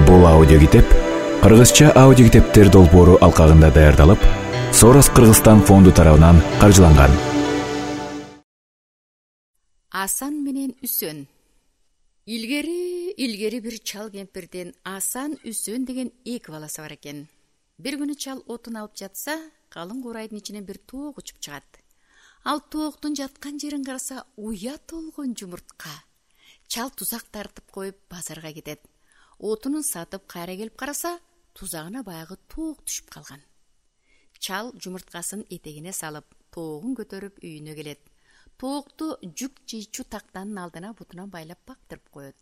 Бул аудиокитеп кыргызча аудиокитептер долбоору алкагында даярдалып, Сорос Кыргызстан фонду тарабынан каржыланган. Асан менен Үсөн. Илгери бир чал кемпирдин Асан, Үсөн деген эки баласы бар экен. Бир күнү чал отун алып жатса, калың курайдын ичинен бир тоок учуп чыгат. Ал тооктун жаткан жерин караса, уят болгон жумуртка. Чал тузак тартып коюп базарга кетет. Отунун сатып кайра келип караса, тузагына баягы тоок түшүп калган. Чал жумурткасын этегине салып, тоогун көтөрүп үйүнө келет. Тоокту жүк жыйчу тактанын алдына бутуна байлап бактырып коет.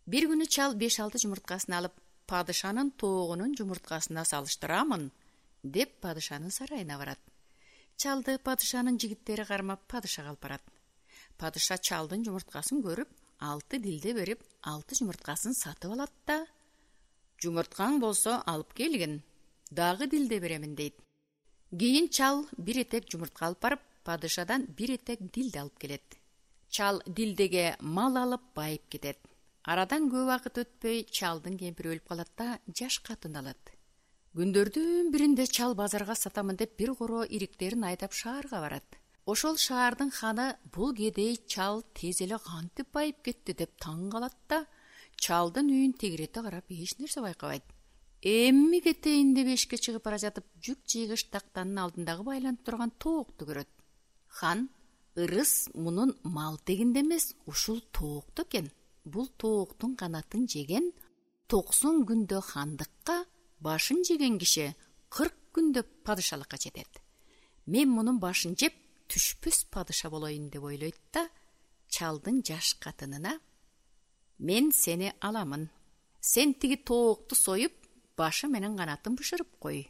Бир күнү чал 5-6 жумурткасын алып, падышанын тоогунун жумурткасына салыштырамын, деп падышанын сарайына барат. Чалды падышанын жигиттери кармап падышага алып барат. Падыша чалдын жумурткасын көрүп, 6 дилде берип, 6 жумурткасын сатып алат да, жумурткаң болсо алып келгин, дагы дилде беремин дейт. Кийин чал бир этек жумуртка алып барып, падышадан бир этек дилде алып келет. Чал дилдеге мал алып байып кетет. Арадан көп убакыт өтпөй чалдын кемпири өлүп калат да, жаш катын алат. Күндөрдүн биринде чал базарга сатамын деп бир коро ириктерин айдап шаарга барат. Ошол шаардын ханы бул кедей чал тез эле кантип байып кетти деп таң калат да, чалдын үйүн тегирете карап эч нерсе байкабайт. Эмми кетейин деп эшикке чыгып бара жатып, жүк жыйгыч тактанын алдындагы байланып турган тоокту көрөт. Хан: «Ырыс мунун мал тегинде эмес, ушул тоокто экен. Бул тооктун канатын жеген 90 күндө хандыкка, башын жеген киши 40 күндө падышалыкка жетет. Мен мунун башын жеп, түшпөс падыша болоюн деп ойлойт да, чалдын жаш катынына: «Мен сени аламын. Сен тиги тоокту союп, башы менен канатын бышырып кой.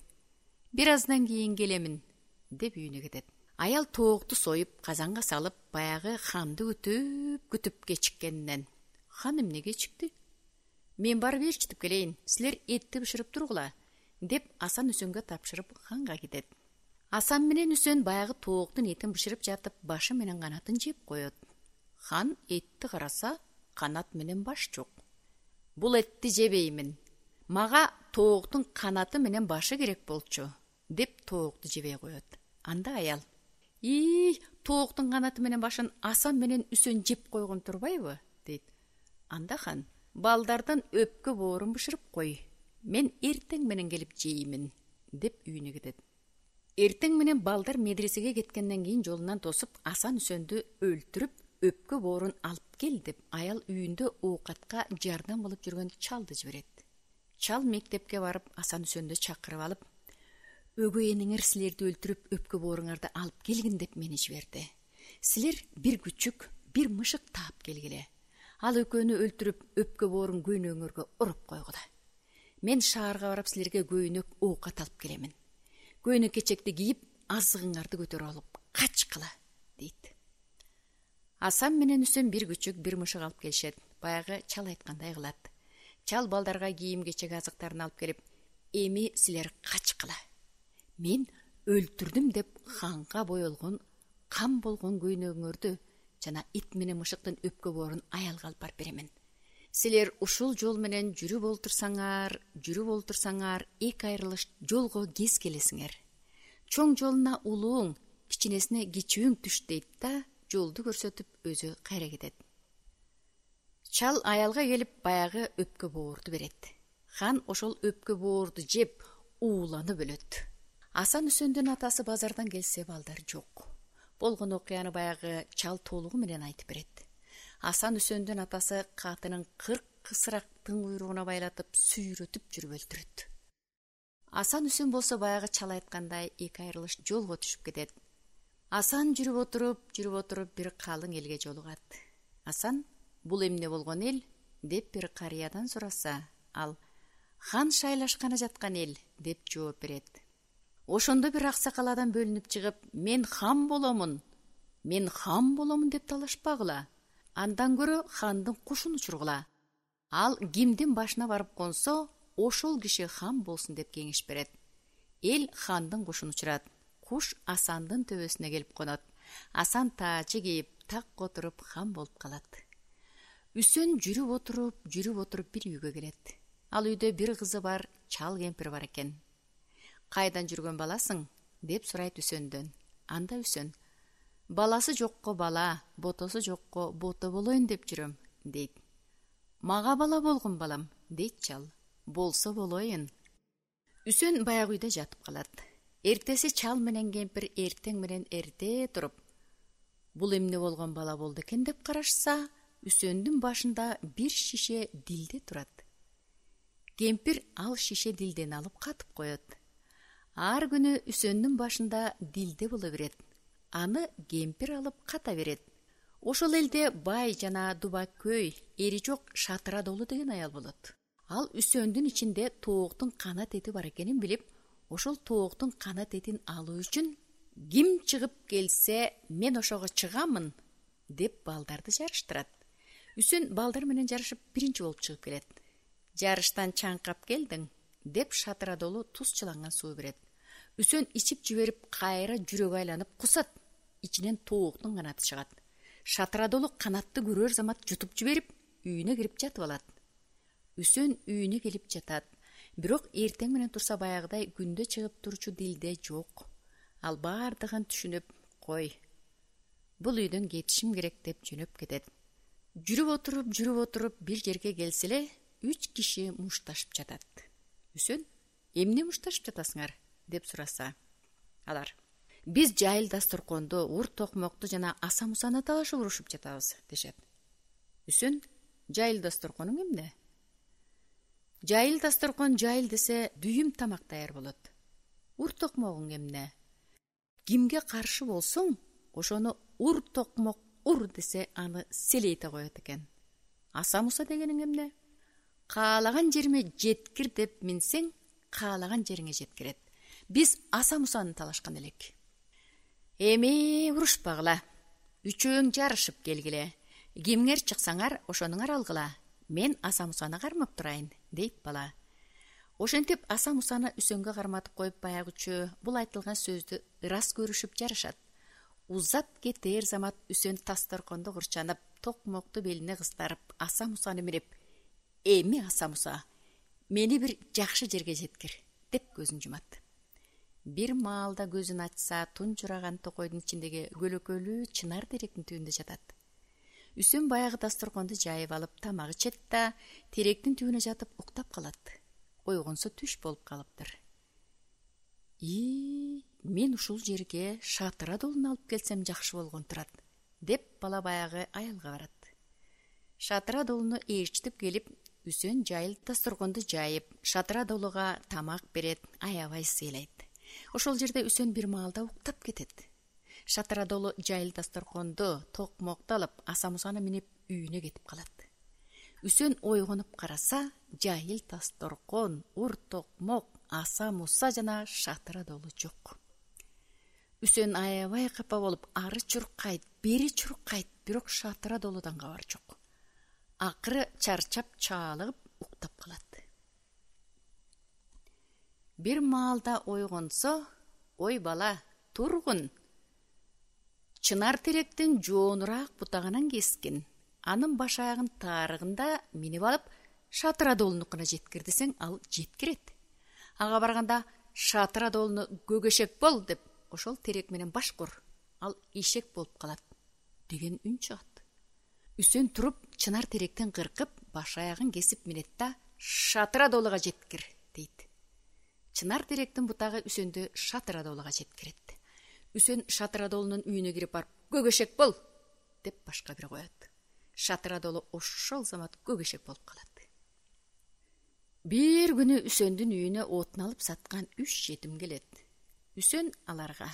Бир аздан кийин келемин», деп үйүнө кетет. Аял тоокту союп, казанга салып, баягы ханды күтүп кечиккенинен: «Хан эмне кечикти? Мен барып ээрчитип келейин, силер этти бышырып тургула», деп Асан Үсөнгө тапшырып ханга кетет. Асан менен Үсөн баягы тооктун этин бышырып жатып, башы менен канатын жеп коет. Хан этти караса, канат менен баш жок. «Бул этти жебеймин. Мага тооктун канаты менен башы керек болчу», деп тоокту жебей коет. Анда аял: «Тооктун канаты менен башын Асан менен Үсөн жеп койгон турбайбы?» дейт. Анда хан: «Балдардын өпкө боорун бышырып кой. Мен эртең менен келип жеймин», деп үйүнө кетет. Эртең менен балдар медресеге кеткенден кийин жолунан тосуп, Асан Үсөндү өлтүрүп, өпкө боорун алып кел деп аял үйүндө оокатка жардам кылып жүргөн чалды жиберет. Чал мектепке барып, Асан Үсөндү чакырып алып: «Өгөй энеңер силерди өлтүрүп, өпкө бооруңарды алып келгин деп мени жиберди. Силер бир күчүк, бир мышык таап келгиле. Ал экөөнү өлтүрүп, өпкө боорун көйнөңөргө уруп койгула. Мен шаарга барып силерге көйнөк, оокат алып келемин. Көйнөк кечекти кийип, азыгыңарды көтөрүп алып качкыла», дейт. Асан менен Үсөн бир күчүк, бир мышык алып келишет. Баягы чал айткандай кылат. Чал балдарга кийим кечек азыктарын алып келип: «Эми силер качкыла. Мен өлтүрдүм деп ханга боелгон, кам болгон көйнөгүңөрдү жана ит менен мышыктын өпкө боорун аялга алып барып беремин. Силер ушул жол менен жүрүп олтурсаңар, эки айрылыш жолго кез келесиңер. Чоң жолуна улууң, кичинесине кичүүң түш», дейт да жолду көрсөтүп өзү кайра кетет. Чал аялга келип баягы өпкө боорду берет. Хан ошол өпкө боорду жеп, ууланып өлөт. Асан Үсөндүн атасы базардан келсе, балдар жок. Болгон окуяны баягы чал толугу менен айтып берет. Асан Үсөндүн атасы катынын 40 кысырактын куйругуна байлатып, сүйрөтүп жүрүп өлтүрөт. Асан Үсөн болсо баягы чал айткандай эки айрылыш жолго түшүп кетет. Асан жүрүп отуруп бир калың элге жолугат. Асан: «Бул эмне болгон эл?» деп бир карыядан сураса, ал: «Хан шайлашканы жаткан эл», деп жооп берет. Ошондо бир аксакал адам бөлүнүп чыгып: «Мен хан боломун деп талашпагыла. Андан көрө хандын кушун учургула. Ал кимдин башына барып консо, ошол киши хан болсун», деп кеңеш берет. Эл хандын кушун учурат. Куш Асандын төбөсүнө келип конот. Асан таачы кийип, так отуруп хан болуп калат. Үсөн жүрүп отуруп бир үйгө келет. Ал үйдө бир кызы бар, чал кемпир бар экен. Кайдан жүргөн баласың? Деп сурайт Үсөндөн. Анда Үсөн: баласы жокко бала, ботосу жокко бото болоюн деп жүрөм, дейт. Мага бала болгон балам, дейт чал. Болсо болоюн. Үсөн баягы үйдө жатып калат. Эртеси чал менен кемпир эртең менен эрте туруп, бул эмне болгон бала болду экен деп карашса, Үсөндүн башында бир шише дилде турат. Кемпир ал шише дилдени алып катып коет. Ар күнү Үсөндүн башында дилде боло берет. Аны кемпир алып ката берет. Ошол элде бай жана дубакөй, эри жок Шатыра Долу деген аял болот. Ал Үсөндүн ичинде тооктун канат эти бар экенин билип, ошол тооктун канат этин алуу үчүн ким чыгып келсе, мен ошого чыгамын деп балдарды жарыштырат. Үсөн балдар менен жарышып биринчи болуп чыгып келет. Жарыштан чаңкап келдиң деп Шатыра Долу туз чыланган суу берет. Үсөн ичип жиберип кайра жүрөгү айланып кусат. Ичинен тооктун канаты чыгат. Шатыра Долу канатты көрөр замат жутуп жиберип, үйүнө кирип жатып алат. Үсөн үйүнө келип жатат. Бирок эртең менен турса баягыдай күндө чыгып турчу дилде жок. Ал бардыгын түшүнүп, кой, бул үйдөн кетишим керек деп жөнөп кетет. Жүрүп отуруп бир жерге келсе эле 3 киши мушташып жатат. Үсөн: эмне мушташып жатасыңар? Деп сураса, алар: биз жайыл дасторконду, ур токмокту жана аса мусаны талашып урушуп жатабыз, дешет. Үсөн: жайыл дасторконуң эмне? Жайыл дасторкон жайыл десе дүйүм тамак даяр болот. Ур токмогуң эмне? Кимге каршы болсоң, ошону ур токмок ур десе аны селейте коет экен. Аса муса дегениң эмне? Каалаган жериме жеткир деп минсең, каалаган жериңе жеткирет. Биз аса мусаны талашкан элек. Эми урушпагыла. Үчөөң жарышып келгиле. Кимиңер чыксаңар, ошонуңар алгыла. Мен аса мусаны кармап турайын, дейт бала. Ошентип аса мусаны Үсөнгө карматып коюп баягычы бул айтылган сөздү ырас көрүшүп жарышат. Узап кетер замат Үсөн дасторкондо курчанып, токмокту белине кыстарып, аса мусаны минип: эми аса муса, мени бир жакшы жерге жеткир, деп көзүн жумат. Бир маалда көзүн ачса, тунжураган токойдун ичиндеги көлөкөлүү чынар теректин түбүндө жатат. Үсөн баягы дасторконду жайып алып тамак ичет да, теректин түбүнө жатып уктап калат. Ойгонсо түш болуп калыптыр. Мен ушул жерге Шатыра Долуну алып келсем жакшы болгон турат, деп бала баягы аялга барат. Шатыра Долуну ээрчитип келип, Үсөн жайыл дасторконду жайып, Шатыра Долуга тамак берет, аябай сыйлайт. Ошол жерде Үсөн бир маалда уктап кетет. Шатыра Долу жайыл дасторконду, токмокту алып, аса мусаны минип үйүнө кетип калат. Үсөн ойгонуп караса, жайыл дасторкон, ур токмок, аса муса жана Шатыра Долу жок. Үсөн аябай капа болуп, ары чуркайт, бери чуркайт, бирок Шатыра Долудан кабар жок. Акыры чарчап чаалыгып уктап калат. Бир маалда ойгонсо: ой бала, тургун. Чынар теректин жоонураак бутагынан кескин. Анын баш аягын таарыгында минип алып, Шатыра Долунукуна жеткир десең, ал жеткирет. Ага барганда: Шатыра Долуну көгөшек бол деп, ошол терек менен баш кур, ал ишек болуп калат, деген үн чыгат. Үсөн туруп, чынар теректен кыркып, баш аягын кесип минет да: Шатыра Долуга жеткир, дейт. Чынар теректин бутагы Үсөндү Шатыра Долуга жеткирет. Үсөн Шатыра Долунун үйүнө кирип барып: көгөшек бол, деп башка бир коет. Шатыра Долу ошол замат көгөшек болуп калат. Бир күнү Үсөндүн үйүнө отун алып саткан 3 жетим келет. Үсөн аларга: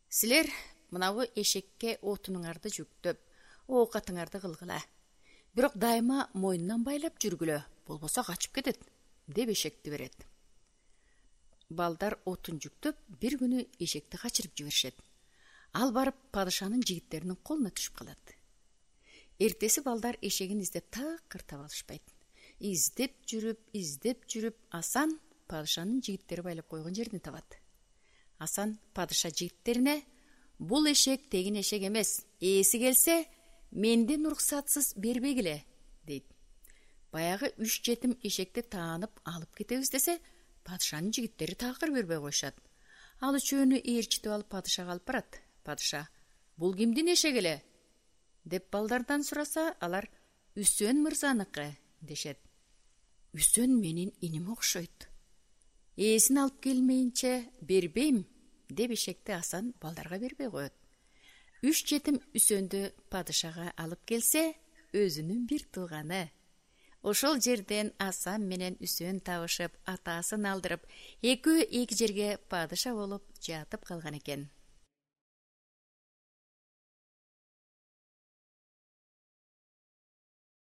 силер мынабу эшекке отунуңарды жүктөп, оокатыңарды кылгыла. Бирок дайыма мойнунан байлап жүргүлө, болбосо качып кетет, деп эшекти берет. Балдар отун жүктөп, бир күнү эшекти качырып жиберишет. Ал барып падышанын жигиттеринин колуна түшүп калат. Эртеси балдар эшегин издеп такыр таба алышпайт. Издеп жүрүп, Асан падышанын жигиттери байлап койгон жерин табат. Асан падыша жигиттерине: бул эшек тегин эшек эмес, ээси келсе, менден уруксатсыз бербегиле дейт. Баягы 3 жетим эшекти таанып алып кетебиз десе, падышанын жигиттери такыр бербей коюшат. Ал үчөөнү ээрчитип алып падышага алып барат. Падыша: "Бул кимдин эшеги эле?" деп балдардан сураса, алар "Үсөн мырзаныкы" дешет. "Үсөн менин иним окшойт. Ээсин алып келмейинче бербейм" деп эшекти Асан балдарга бербей коет. 3 жетим Үсөндү падышага алып келсе, өзүнүн бир тууганы. Ошол жерден Асан менен Үсөн табышып, атасын алдырып, экөө эки жерге падыша болуп жатып калган экен.